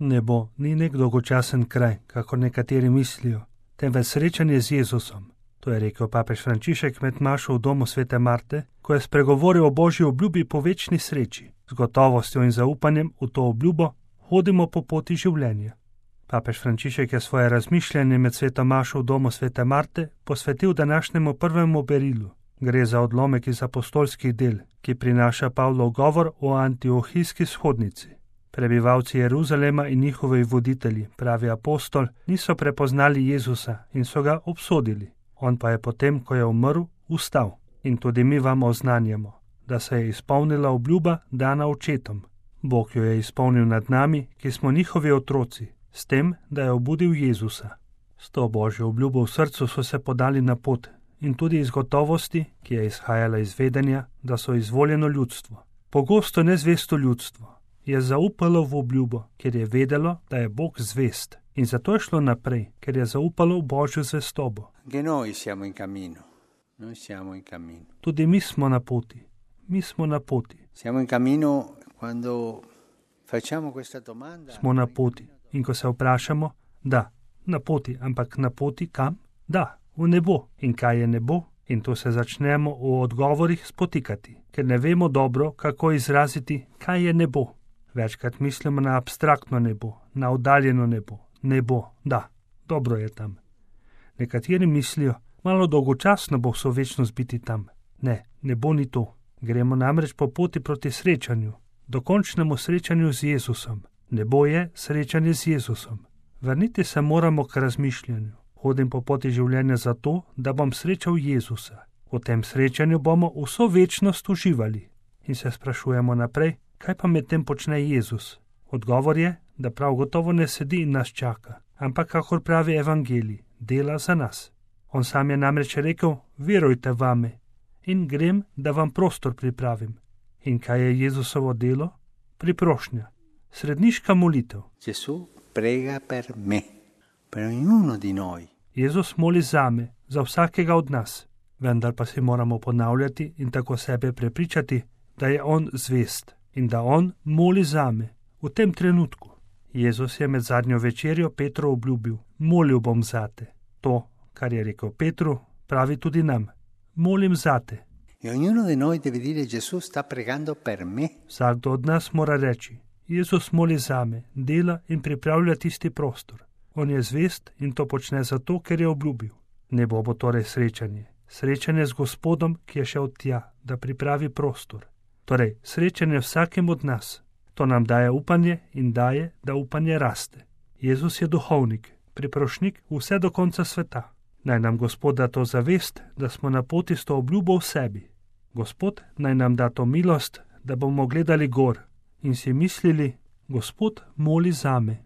Nebo ni nek dolgočasen kraj, kako nekateri mislijo, temveč srečanje z Jezusom. To je rekel papež Frančišek med mašo v domu svete Marte, ko je spregovoril o božji obljubi po večni sreči. Z gotovostjo in zaupanjem v to obljubo hodimo po poti življenja. Papež Frančišek je svoje razmišljanje med sveto mašo v domu svete Marte posvetil današnjemu prvemu berilu. Gre za odlomek iz apostolskih del, ki prinaša Pavlov govor o antiohijski shodnici. Prebivalci Jeruzalema in njihovi voditelji, pravi apostol, niso prepoznali Jezusa in so ga obsodili. On pa je potem, ko je umrl, vstal. In tudi mi vam oznanjamo, da se je izpolnila obljuba dana očetom. Bog jo je izpolnil nad nami, ki smo njihovi otroci, s tem, da je obudil Jezusa. S to božjo obljubo v srcu so se podali na pot in tudi iz gotovosti, ki je izhajala iz vedenja, da so izvoljeno ljudstvo. Pogosto nezvesto ljudstvo je zaupalo v obljubo, ker je vedelo, da je Bog zvest. In zato je šlo naprej, ker je zaupalo v božjo zvestobo. Tudi mi smo na poti. Smo na poti. In ko se vprašamo, da, na poti, ampak na poti kam? Da, v nebo. In kaj je nebo? In tu se začnemo v odgovorih spotikati, ker ne vemo dobro, kako izraziti, kaj je nebo. Večkrat mislimo na abstraktno nebo, na oddaljeno nebo. Nebo, da, dobro je tam. Nekateri mislijo, malo dolgočasno bo vso večnost biti tam. Ne, nebo ni to. Gremo namreč po poti proti srečanju, dokončnemu srečanju z Jezusom. Nebo je srečanje z Jezusom. Vrniti se moramo k razmišljanju. Hodim po poti življenja zato, da bom srečal Jezusa. V tem srečanju bomo vso večnost uživali. In se sprašujemo naprej, kaj pa med tem počne Jezus? Odgovor je, da prav gotovo ne sedi in nas čaka, ampak, kakor pravi evangelij, dela za nas. On sam je namreč rekel, verujte vame in grem, da vam prostor pripravim. In kaj je Jezusovo delo? Priprošnja, sredniška molitev. Jezus moli zame, za vsakega od nas, vendar pa si moramo ponavljati in tako sebe prepričati, da je on zvest in da on moli zame v tem trenutku. Jezus je med zadnjo večerjo Petru obljubil, molil bom zate. To, kar je rekel Petru, pravi tudi nam. Molim zate. Vsakdo od nas mora reči, Jezus moli zame, dela in pripravlja tisti prostor. On je zvest in to počne zato, ker je obljubil. Nebo bo torej srečanje. Srečanje z Gospodom, ki je šel tja, da pripravi prostor. Torej, srečanje vsakem od nas. To nam daje upanje in daje, da upanje raste. Jezus je duhovnik, priprošnik vse do konca sveta. Naj nam Gospod da to zavest, da smo na poti s to obljubo v sebi. Gospod naj nam da to milost, da bomo gledali gor in si mislili, Gospod moli zame.